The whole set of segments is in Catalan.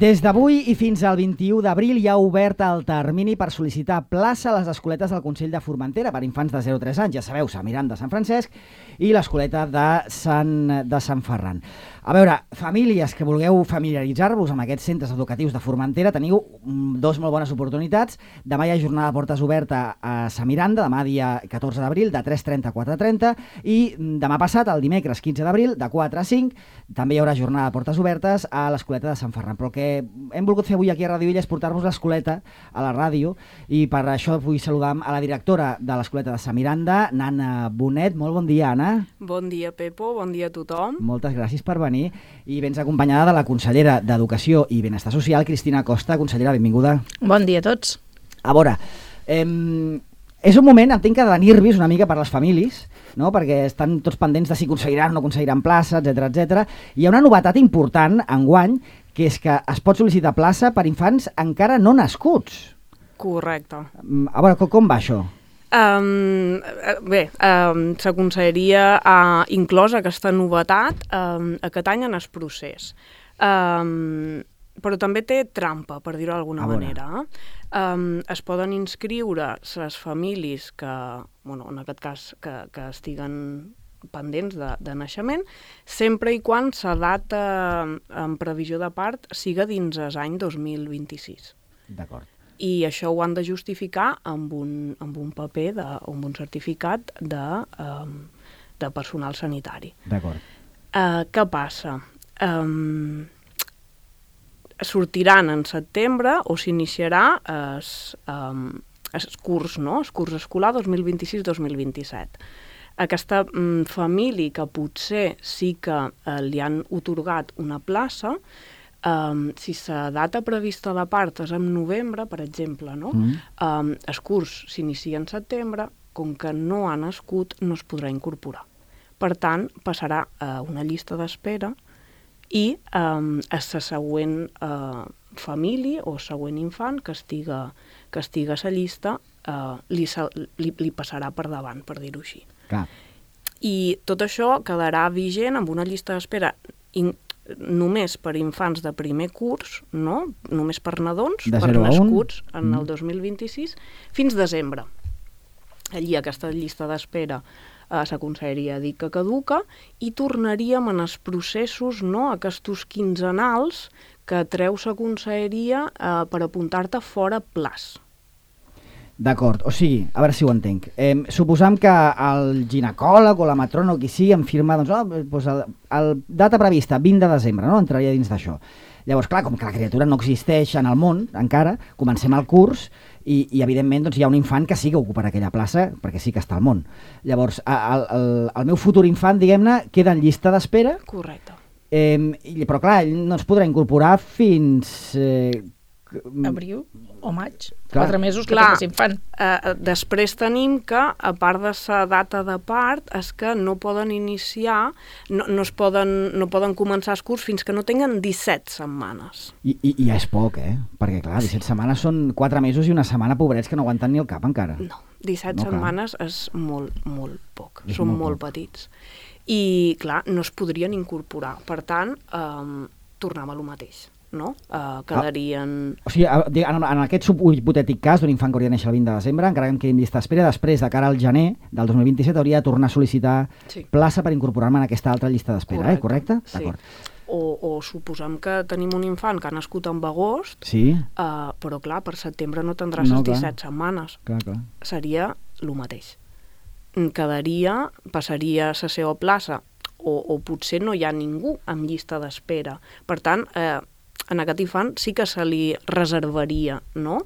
Des d'avui i fins al 21 d'abril hi ha obert el termini per sol·licitar plaça a les escoletes del Consell de Formentera per infants de 0 a 3 anys. Ja sabeu, Sant Miranda de Sant Francesc i l'escoleta de Sant Ferran. A veure, famílies que vulgueu familiaritzar-vos amb aquests centres educatius de Formentera, teniu dos molt bones oportunitats. Demà hi ha jornada de portes oberta a Sant Miranda, demà dia 14 d'abril, de 3:30 a 4:30, i demà passat, el dimecres 15 d'abril, de 4 a 5, també hi haurà jornada de portes obertes a l'escoleta de Sant Ferran. Però el que hem volgut fer avui aquí a Ràdio Villa és portar-vos l'escoleta a la ràdio, i per això vull saludar a la directora de l'escoleta de Sant Miranda, Nana Bonet. Molt bon dia, Anna. Bon dia, Pepo, bon dia a tothom. Moltes gràcies per venir, i vens acompanyada de la consellera d'Educació i Benestar Social, Cristina Costa. Consellera, benvinguda. Bon dia a tots. A veure, és un moment, entenc que de nervis una mica per les famílies, no? Perquè estan tots pendents de si aconseguiran o no aconseguiran plaça, etc. Hi ha una novetat important enguany, que és que es pot sol·licitar plaça per infants encara no nascuts. Correcte. A veure, com va això? S'aconseguiria inclosa aquesta novetat aquest any en el procés. Però també té trampa, per dir-ho d'alguna manera. Es poden inscriure les famílies que, en aquest cas, que estiguen pendents de naixement, sempre i quan la data en previsió de part siga dins l'any 2026. D'acord. I això ho han de justificar amb un paper, amb un certificat de personal sanitari. D'acord. Què passa? Sortiran en setembre o s'iniciarà el curs, no? El curs escolar 2026-2027. Aquesta família que potser sí que li han atorgat una plaça, si la data prevista de part és en novembre, per exemple, no? El curs s'inicia en setembre, com que no ha nascut, no es podrà incorporar. Per tant, passarà a una llista d'espera i a la següent família o següent infant que estiga a la llista li passarà per davant, per dir-ho així. Clar. I tot això quedarà vigent amb una llista d'espera només per infants de primer curs, no? Només per nadons, per nascuts en el 2026, fins desembre. Allí aquesta llista d'espera s'aconseguiria dir que caduca i tornaríem en els processos, no? Aquests quinzenals que treu la conselleria per apuntar-te fora plaç. D'acord, o sigui, a veure si ho entenc. Suposam que el ginecòleg o la matrona o qui sigui em firma, el data prevista, 20 de desembre, no? Entraria dins d'això. Llavors, clar, com que la criatura no existeix en el món encara, comencem el curs i evidentment, hi ha un infant que sí que ocuparà aquella plaça, perquè sí que està al món. Llavors, el meu futur infant, diguem-ne, queda en llista d'espera. Correcte. Però clar, ell no es podrà incorporar fins... abril o maig, 4 mesos que té aquest infant. Després tenim que, a part de la data de part, és que no poden iniciar, no poden començar el curs fins que no tinguen 17 setmanes. I ja és poc, perquè clar, 17 setmanes són 4 mesos i una setmana, pobrets, que no aguanten ni el cap encara. No, 17 setmanes és molt, molt poc, són molt petits. I clar, no es podrien incorporar, per tant, tornem a lo mateix. No? Quedarien... O sigui, en aquest hipotètic cas d'un infant que hauria de néixer el 20 de desembre, encara que em quedi en llista d'espera, després, de cara al gener del 2027, hauria de tornar a sol·licitar plaça per incorporar-me en aquesta altra llista d'espera, correcte? Sí. O suposem que tenim un infant que ha nascut en agost, però clar, per setembre no tindrà les 17 setmanes. Clar. Seria el mateix. Passaria a la seva plaça, o potser no hi ha ningú en llista d'espera. Per tant, en aquest infant sí que se li reservaria, no?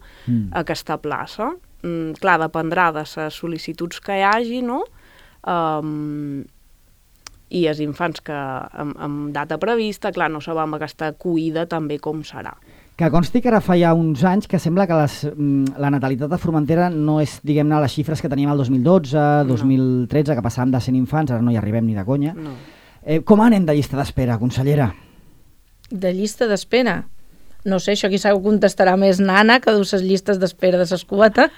Aquesta plaça. Clar, dependrà de les sol·licituds que hi hagi, no? I els infants que amb data prevista, clar, no sabem aquesta acollida també com serà. Que consti que ara fa ja uns anys que sembla que la natalitat de Formentera no és, diguem-ne, les xifres que teníem el 2012, 2013, que passàvem de 100 infants, ara no hi arribem ni de conya. No. Com anem de llista d'espera, consellera? De llista d'espera? No sé, això quizà ho contestarà més Nana, que du les llistes d'espera de l'escoleta.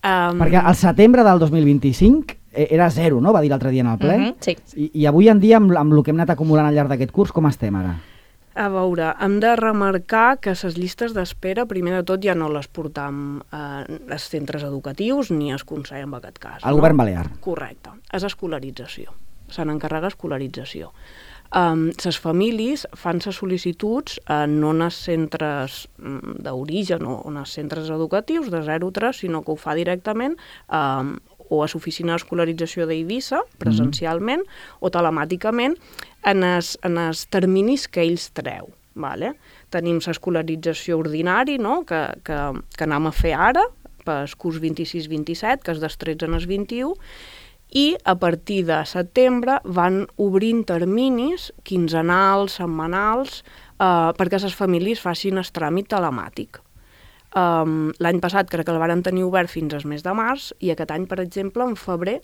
Perquè al setembre del 2025 era 0, no? Va dir l'altre dia en el ple. Sí. I avui en dia, amb el que hem anat acumulant al llarg d'aquest curs, com estem ara? A veure, hem de remarcar que les llistes d'espera, primer de tot, ja no les portam als centres educatius ni es Consell en aquest cas. El govern balear. Correcte. És escolarització. Se n'encarrega escolarització. Les famílies fan les sol·licituds no en els centres d'origen o en els centres educatius de 0 a 3, sinó que ho fa directament o a l'oficina d'escolarització d'Eivissa, presencialment, o telemàticament, en els terminis que ells treu. Vale? Tenim l'escolarització ordinari, no? que anem a fer ara, pel curs 26-27, que és dels 13 als 21, i a partir de setembre van obrint terminis quinzenals, setmanals, perquè les famílies facin el tràmit telemàtic. L'any passat crec que el varen tenir obert fins al mes de març i aquest any, per exemple, en febrer,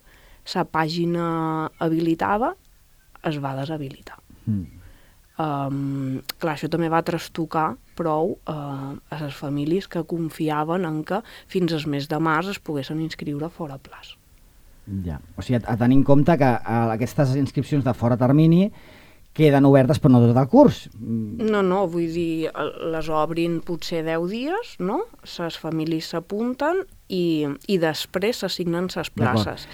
la pàgina habilitada es va deshabilitar. Clar, això també va trastocar prou a les famílies que confiaven en que fins al mes de març es poguessin inscriure fora plaç. Ja. O sigui, a tenir en compte que aquestes inscripcions de fora termini queden obertes però no tot el curs. No, vull dir, les obrin potser 10 dies, no? Les famílies s'apunten i després s'assignen les places.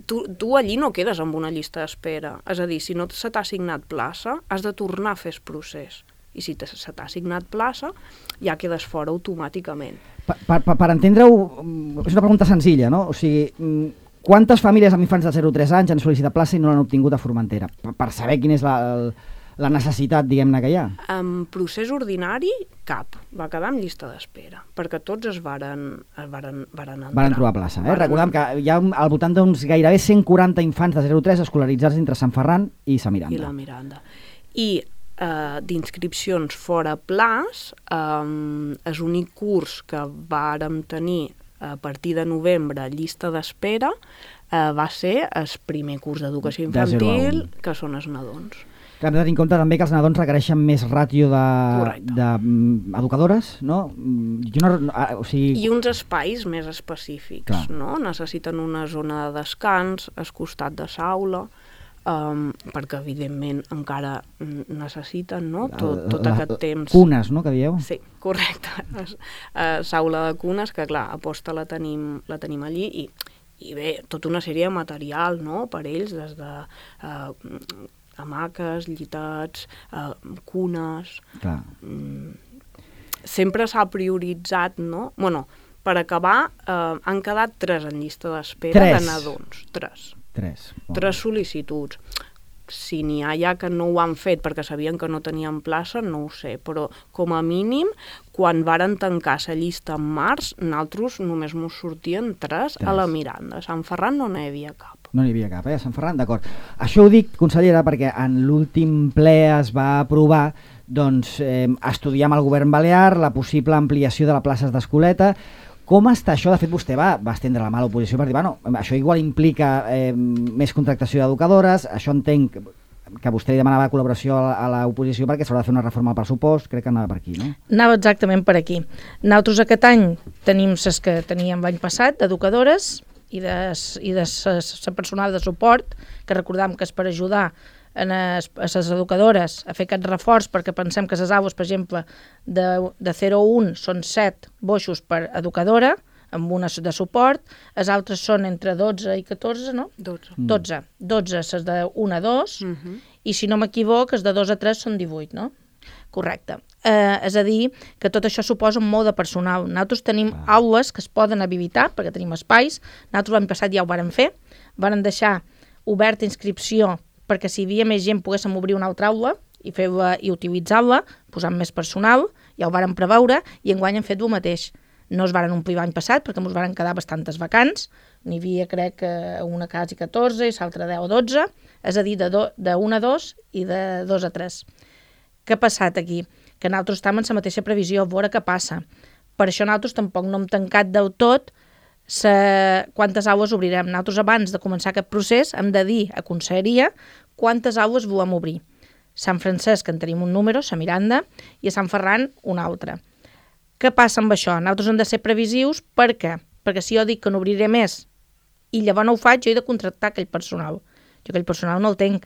Tu allí no quedes amb una llista d'espera. És a dir, si no se t'ha assignat plaça, has de tornar a fer el procés. I si se t'ha assignat plaça, ja quedes fora automàticament. Per entendre-ho, és una pregunta senzilla, no? O sigui, quantes famílies amb infants de 0 a 3 anys han sol·licitat plaça i no l'han obtingut a Formentera? Per saber quina és la necessitat, diguem-ne, que hi ha. En procés ordinari, cap. Va quedar en llista d'espera, perquè tots es varen entrar. Varen trobar plaça. Recordem que hi ha al voltant d'uns gairebé 140 infants de 0 a 3 escolaritzats entre Sant Ferran i sa Miranda. I la Miranda. I d'inscripcions fora plaç, és l'únic curs que vàrem tenir a partir de novembre, llista d'espera, va ser el primer curs d'educació infantil, que són els nadons. Hem de tenir en compte també que els nadons requereixen més ràtio d'educadores, no? I uns espais més específics, no? Necessiten una zona de descans al costat de l'aula, perquè evidentment encara necessiten, no? tot aquest temps. Cunes, no?, que dieu? Sí, correcte. L'aula de cunes, que clar, aposta la tenim allí i bé, tota una sèrie de material, no?, per ells, des de hamaques, llitats, cunes. Clar. Sempre s'ha prioritzat, no? Bueno, per acabar, han quedat 3 en llista d'espera de nadons. 3 sol·licituds. Si n'hi ha ja que no ho han fet perquè sabien que no tenien plaça, no ho sé, però com a mínim, quan varen tancar la llista en març, nosaltres només mos sortien 3 a la Miranda. A Sant Ferran no n'hi havia cap. No n'hi havia cap, a Sant Ferran, d'acord. Això ho dic, consellera, perquè en l'últim ple es va aprovar estudiar amb el govern balear la possible ampliació de les places d'escoleta. Com està això? De fet, vostè va estendre la mà a l'oposició per dir, això igual implica més contractació d'educadores, això entenc que vostè li demanava col·laboració a l'oposició perquè s'haurà de fer una reforma al pressupost, crec que anava per aquí, no? Anava exactament per aquí. Nosaltres aquest any tenim les que teníem l'any passat, d'educadores i de personal de suport, que recordam que és per ajudar a les educadores a fer aquest reforç, perquè pensem que les aules, per exemple, de 0 a 1 són 7 boixos per educadora, amb una de suport, els altres són entre 12 i 14, no? 12 és de 1 a 2, i si no m'equivoc, els de 2 a 3 són 18, no? Correcte. És a dir, que tot això suposa molt de personal. Nosaltres tenim aules que es poden habilitar, perquè tenim espais. Nosaltres l'any passat ja ho vàrem fer. Vàrem deixar oberta inscripció perquè si hi havia més gent poguéssim obrir una altra aula i utilitzar-la, posant més personal, ja ho vàrem preveure, i enguany hem fet el mateix. No es varen omplir l'any passat perquè ens varen quedar bastantes vacants, n'hi havia crec una quasi 14 i l'altra 10 o 12, és a dir, de 1 a 2 i de 2 a 3. Què ha passat aquí? Que nosaltres estem en la mateixa previsió, a veure què passa. Per això nosaltres tampoc no hem tancat del tot quantes aules obrirem. Nosaltres abans de començar aquest procés hem de dir a Conselleria quantes aules volem obrir. Sant Francesc en tenim un número, sa Miranda, i a Sant Ferran un altre. Què passa amb això? Nosaltres hem de ser previsius, per què? Perquè si jo dic que n'obriré més i llavors no ho faig, jo he de contractar aquell personal. Jo aquell personal no el tinc.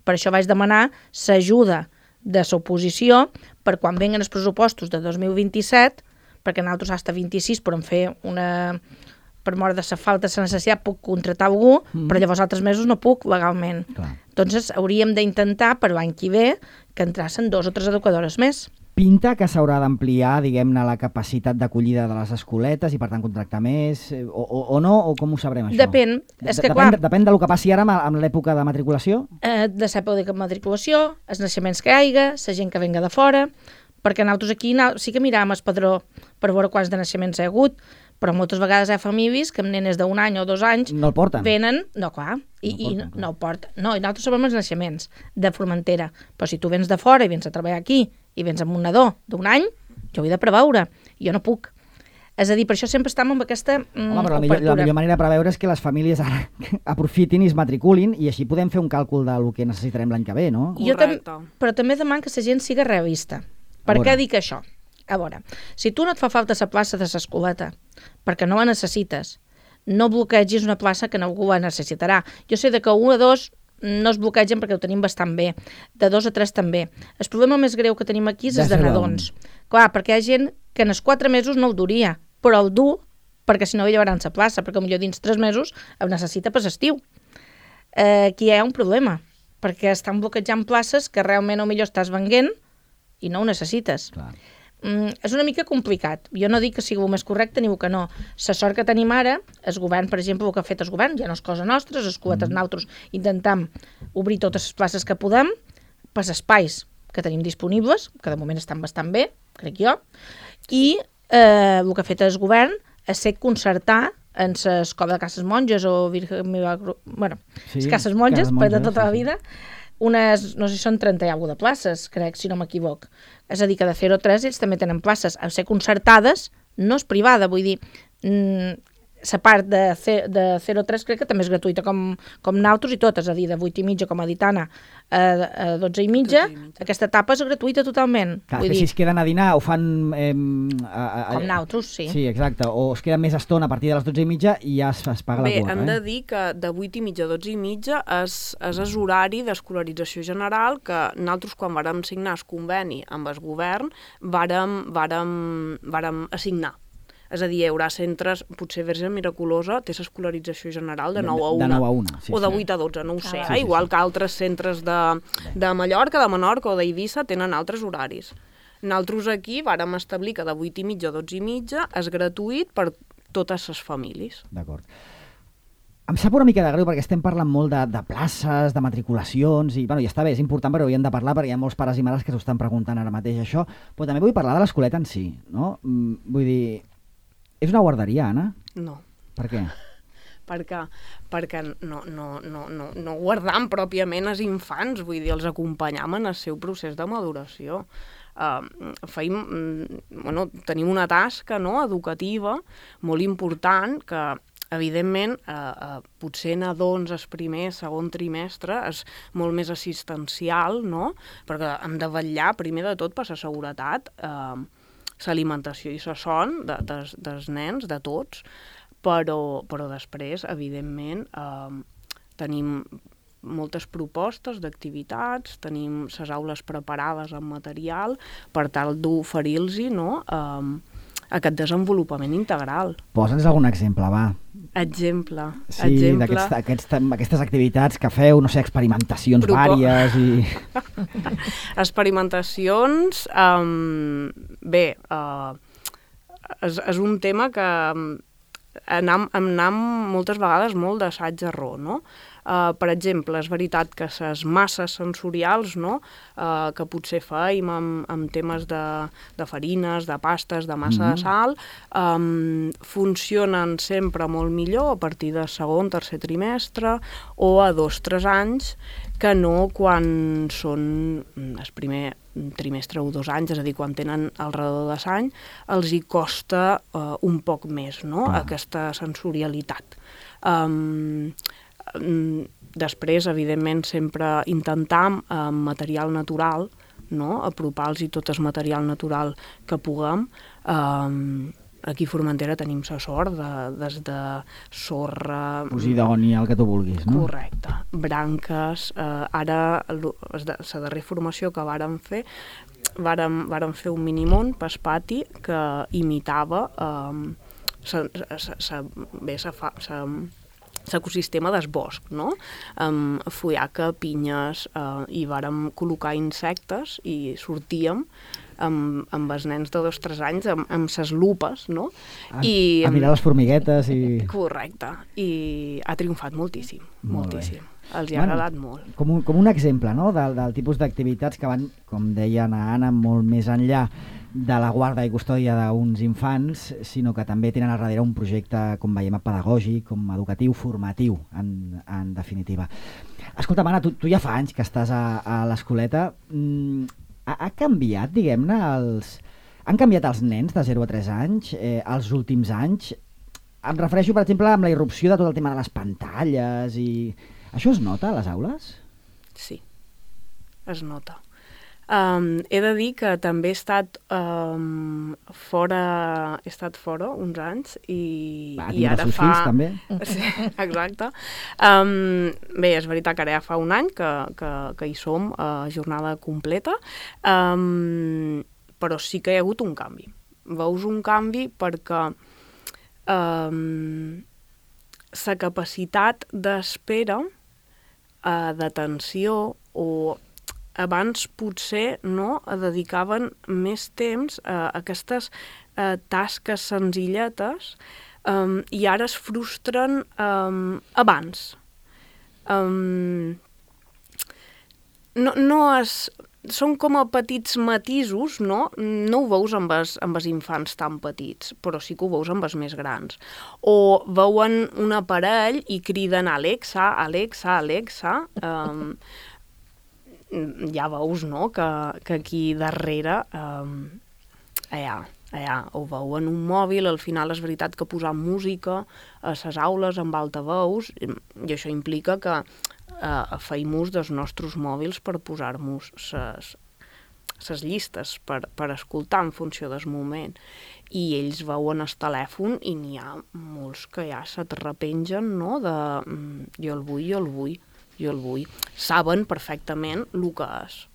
Per això vaig demanar l'ajuda de l'oposició per quan venguen els pressupostos de 2027, perquè nosaltres hasta 26 podem fer una... per mort de la falta de la necessitat puc contractar algú, però llavors altres mesos no puc legalment. Clar. Doncs hauríem d'intentar per l'any que ve que entrassin 2 o 3 educadores més. Pinta que s'haurà d'ampliar, diguem-ne, la capacitat d'acollida de les escoletes i, per tant, contractar més, o no? O com ho sabrem, això? Depèn. És que, clar, depèn del que passi ara amb l'època de matriculació? De l'època de matriculació, els naixements que hi hagi, la gent que venga de fora, perquè nosaltres aquí sí que miràvem el padró per veure quants de naixements hi ha hagut, però moltes vegades hi ha famílies que amb nenes d'un any o 2 anys no el porten. Venen, no, clar, no el porten. No, i nosaltres sabem els naixements de Formentera, però si tu vens de fora i vens a treballar aquí i vens amb un nadó d'un any, jo ho he de preveure, jo no puc. És a dir, per això sempre estem amb aquesta Home, però la millor manera de preveure és que les famílies ara aprofitin i es matriculin i així podem fer un càlcul del que necessitarem l'any que ve, no? Però també demano que la gent siga realista. Per què dic això? A veure, si tu no et fa falta la plaça de l'escoleta perquè no la necessites, no bloquegis una plaça que algú la necessitarà. Jo sé que 1 o 2 no es bloquegen perquè ho tenim bastant bé, de 2 a 3 també. El problema més greu que tenim aquí és els de nadons. Clar, perquè hi ha gent que en els 4 mesos no ho duria, però el dur perquè si no hi llevaran la plaça, perquè potser dins 3 mesos el necessita per l'estiu. Aquí hi ha un problema, perquè estan bloquejant places que realment millor estàs venent i no ho necessites. Clar. És una mica complicat. Jo no dic que sigui el més correcte ni el que no. La sort que tenim ara, el govern, per exemple, el que ha fet el govern, ja no és cosa nostra, les escoletes nosaltres intentem obrir totes les places que podem per als espais que tenim disponibles, que de moment estan bastant bé, crec jo, i el que ha fet el govern és ser concertar en l'escola de Cases Monges o les Cases Monges, per de tota la vida, unes, no sé si són 30 i alguna de places, crec, si no m'equivoc. És a dir, que de 0 a 3 ells també tenen places. A ser concertades no és privada, vull dir, la part de 0 a 3 crec que també és gratuïta com nosaltres i tot, és a dir, de 8 i mitja com a Ditana a 12 i mitja, aquesta etapa és gratuïta totalment. Clar, que si es queden a dinar o fan... com nosaltres, sí. Sí, exacte, o es queden més estona a partir de les 12 i mitja i ja es paga la quota. Bé, hem de dir que de 8 i mitja a 12 i mitja és horari d'escolarització general que nosaltres quan vàrem signar el conveni amb el govern vàrem assignar. És a dir, hi haurà centres, potser Verge Miraculosa té l'escolarització general de 9 a 1. De 9 a 1, sí. O de 8 a 12, no ho sé. Sí, igual que altres centres de Mallorca, de Menorca o d'Eivissa tenen altres horaris. Nosaltres aquí vàrem establir que de 8 i mitja a 12 i mitja és gratuït per totes les famílies. D'acord. Em sap una mica de greu perquè estem parlant molt de places, de matriculacions, i bueno, ja està bé, és important, però hauríem de parlar perquè hi ha molts pares i mares que s'ho estan preguntant ara mateix això, però també vull parlar de l'escoleta en si, no? Vull dir, és una guarderia, Anna? No. Per què? Perquè no guardam pròpiament els infants, vull dir, els acompanyam en el seu procés de maduració. Tenim una tasca educativa molt important que, evidentment, potser nadons el primer, segon trimestre és molt més assistencial, no? Perquè hem de vetllar, primer de tot, per la seguretat, l'alimentació i la son dels nens, de tots, però després, evidentment, tenim moltes propostes d'activitats, tenim les aules preparades amb material per tal d'oferir-los aquest desenvolupament integral. Posa'ns algun exemple, va. Exemple. Sí, d'aquestes activitats que feu, no sé, experimentacions vàries i... Experimentacions, bé, és un tema que anem moltes vegades molt d'assaig-error, no? Per exemple, és veritat que les masses sensorials, no? Que potser feim amb temes de farines, de pastes, de massa de sal, funcionen sempre molt millor a partir del segon, tercer trimestre o a 2-3 anys que no quan són el primer trimestre o 2 anys, és a dir, quan tenen alrededor de l'any, els hi costa un poc més, no? Aquesta sensorialitat. Després, evidentment, sempre intentam amb material natural, no? Apropar-los tot el material natural que puguem, aquí a Formentera tenim la sort des de sorra... Posidònia, el que tu vulguis, no? Correcte. Branques. Ara, la darrera formació que vàrem fer, vàrem fer un minimont pel pati que imitava l'ecosistema del bosc, no? Fullaca, pinyes, i vàrem col·locar insectes i sortíem amb els nens de 2 o 3 anys amb ses lupes, no? A mirar les formiguetes i... Correcte. I ha triomfat moltíssim, moltíssim. Els hi ha agradat molt. Com un exemple, no?, del tipus d'activitats que van, com deia Anna, molt més enllà de la guarda i custòdia d'uns infants, sinó que també tenen al darrere un projecte, com veiem, pedagògic, com educatiu, formatiu, en definitiva. Escolta, Anna, tu ja fa anys que estàs a l'escoleta. Ha canviat, diguem-ne, han canviat els nens de 0 a 3 anys els últims anys? Em refereixo, per exemple, amb la irrupció de tot el tema de les pantalles i... Això es nota a les aules? Sí, es nota. He de dir que també he estat fora uns anys i ara fa... fills, també? Sí, exacte. Bé, és veritat que ara ja fa un any que hi som a jornada completa, però sí que hi ha hagut un canvi. Veus un canvi perquè la capacitat d'espera, d'atenció, o abans potser no dedicaven més temps a aquestes tasques senzilletes i ara es frustren abans. Són com a petits matisos, no? No ho veus amb els infants tan petits, però sí que ho veus amb els més grans. O veuen un aparell i criden Alexa, Alexa, Alexa. Ja veus, no?, que aquí darrere ho veuen un mòbil. Al final és veritat que posar música a les aules amb altaveus, i això implica que feim ús dels nostres mòbils per posar-nos les llistes per escoltar en funció del moment, i ells veuen el telèfon i n'hi ha molts que ja se't repengen, no?, de jo el vull. Saben perfectament el que és,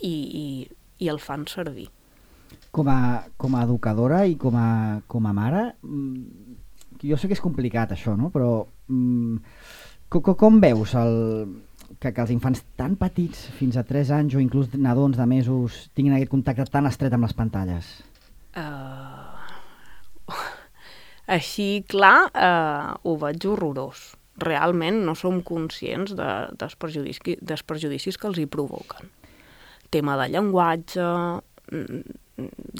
i el fan servir. Com a educadora i com a mare, jo sé que és complicat això, no?, però com veus que els infants tan petits, fins a 3 anys o inclús nadons de mesos, tinguin aquest contacte tan estret amb les pantalles? Així, clar, ho veig horrorós. Realment no som conscients dels perjudicis que els hi provoquen. Tema de llenguatge,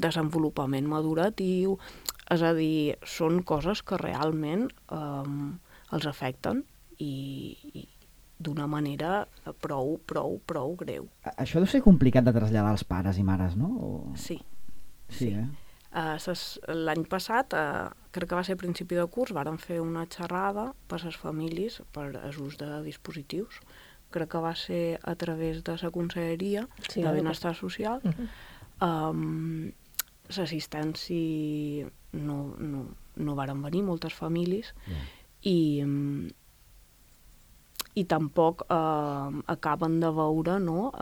desenvolupament maduratiu, és a dir, són coses que realment els afecten i d'una manera prou greu. Això deu ser complicat de traslladar als pares i mares, no? Sí. Sí. L'any passat, crec que va ser a principi de curs, vàrem fer una xerrada per a les famílies per l'ús de dispositius. Crec que va ser a través de la Conselleria de Benestar Social. L'assistència no varen venir moltes famílies i tampoc acaben de veure, no,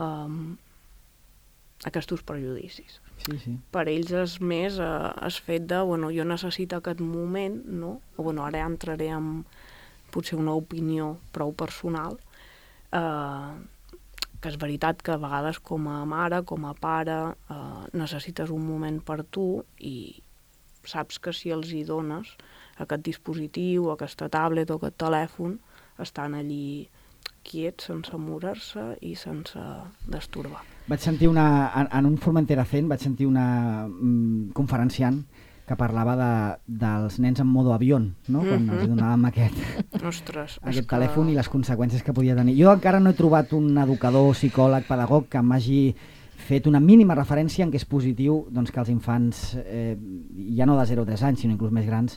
aquests prejudicis. Sí. Per ells és més el fet de, jo necessito aquest moment, no? Ara ja entraré en potser una opinió prou personal, que és veritat que a vegades com a mare, com a pare, necessites un moment per tu i saps que si els hi dones aquest dispositiu, aquesta tablet o aquest telèfon, estan allí quiets, sense moure-se i sense destorbar. Vaig sentir en un Formentera Zen, vaig sentir una conferenciant que parlava dels nens en modo avió, no? Quan els donàvem aquest telèfon i les conseqüències que podia tenir. Jo encara no he trobat un educador, psicòleg, pedagog que m'hagi fet una mínima referència en què és positiu que els infants, ja no de 0 a 3 anys, sinó inclús més grans,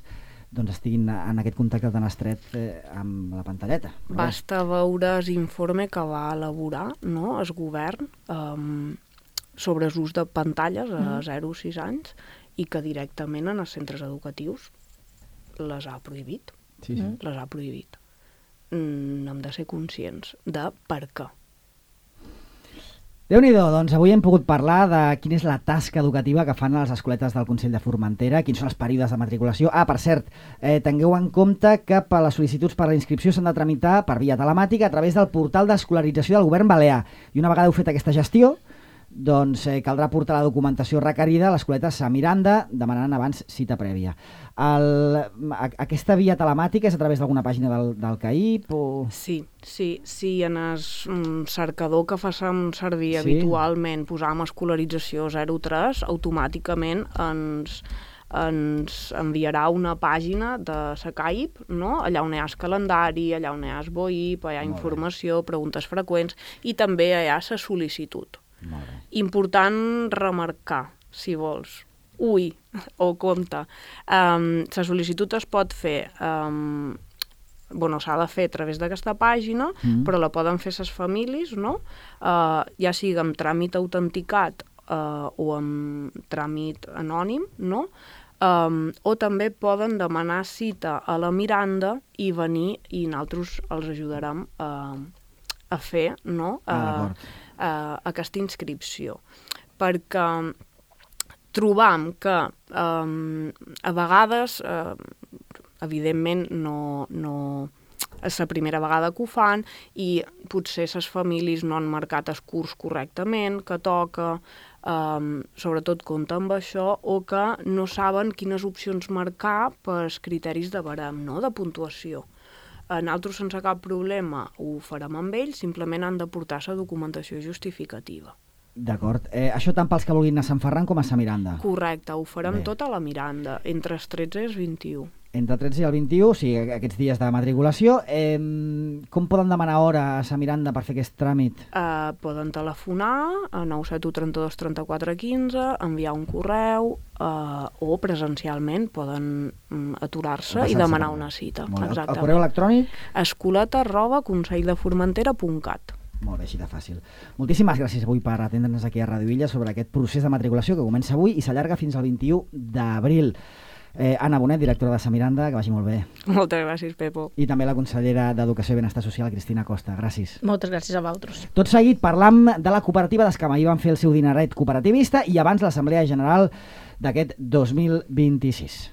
estiguin en aquest contacte tan estret amb la pantalleta. Basta veure l'informe que va elaborar, el govern sobre l'ús de pantalles a 0 a 6 anys i que directament en els centres educatius les ha prohibit. Sí, sí. Les ha prohibit. Hem de ser conscients de per què. Déu-n'hi-do, doncs avui hem pogut parlar de quina és la tasca educativa que fan a les escoletes del Consell de Formentera, quins són els períodes de matriculació. Per cert, tingueu en compte que les sol·licituds per a la inscripció s'han de tramitar per via telemàtica a través del portal d'escolarització del govern balear. I una vegada heu fet aquesta gestió, doncs caldrà portar la documentació requerida a l'escoleta Sant Miranda, demanant abans cita prèvia. Aquesta via telemàtica és a través d'alguna pàgina del CAIP? O... Sí, en el cercador que fem servir habitualment posam escolarització 03, automàticament ens enviarà una pàgina de la CAIP, no? Allà on hi ha el calendari, allà on hi ha el BOIP, hi ha informació, preguntes freqüents i també hi ha la sol·licitud. Important remarcar, si vols, o compte, la sol·licitud es pot fer, s'ha de fer a través d'aquesta pàgina, però la poden fer les famílies, no? Ja sigui amb tràmit autenticat o amb tràmit anònim, no? O també poden demanar cita a la Miranda i venir i nosaltres els ajudarem a fer, no? Aquesta inscripció, perquè trobam que a vegades, evidentment, no és la primera vegada que ho fan i potser les famílies no han marcat el curs correctament, que toca, sobretot compta amb això, o que no saben quines opcions marcar pels criteris de barem, no? De puntuació. Nosaltres, sense cap problema, ho farem amb ells, simplement han de portar la documentació justificativa. D'acord. Això tant pels que vulguin anar a Sant Ferran com a Sant Miranda? Correcte, ho farem tot a la Miranda, entre els 13 i els 21. Entre el 13 i el 21, o sigui, aquests dies de matriculació. Com poden demanar hora a Sant Miranda per fer aquest tràmit? Poden telefonar a 971 32 34 15, enviar un correu o presencialment poden aturar-se i demanar una cita. El correu electrònic? escoleta@conselldeformentera.cat. Molt bé, així de fàcil. Moltíssimes gràcies avui per atendre'ns aquí a Radio Illa sobre aquest procés de matriculació que comença avui i s'allarga fins al 21 d'abril. Anna Bonet, directora de Sant Miranda, que vagi molt bé. Moltes gràcies, Pepo. I també la consellera d'Educació i Benestar Social, Cristina Costa. Gràcies. Moltes gràcies a vosaltres. Tot seguit parlam de la cooperativa d'Escama. Ahir van fer el seu dineret cooperativista i abans l'Assemblea General d'aquest 2026.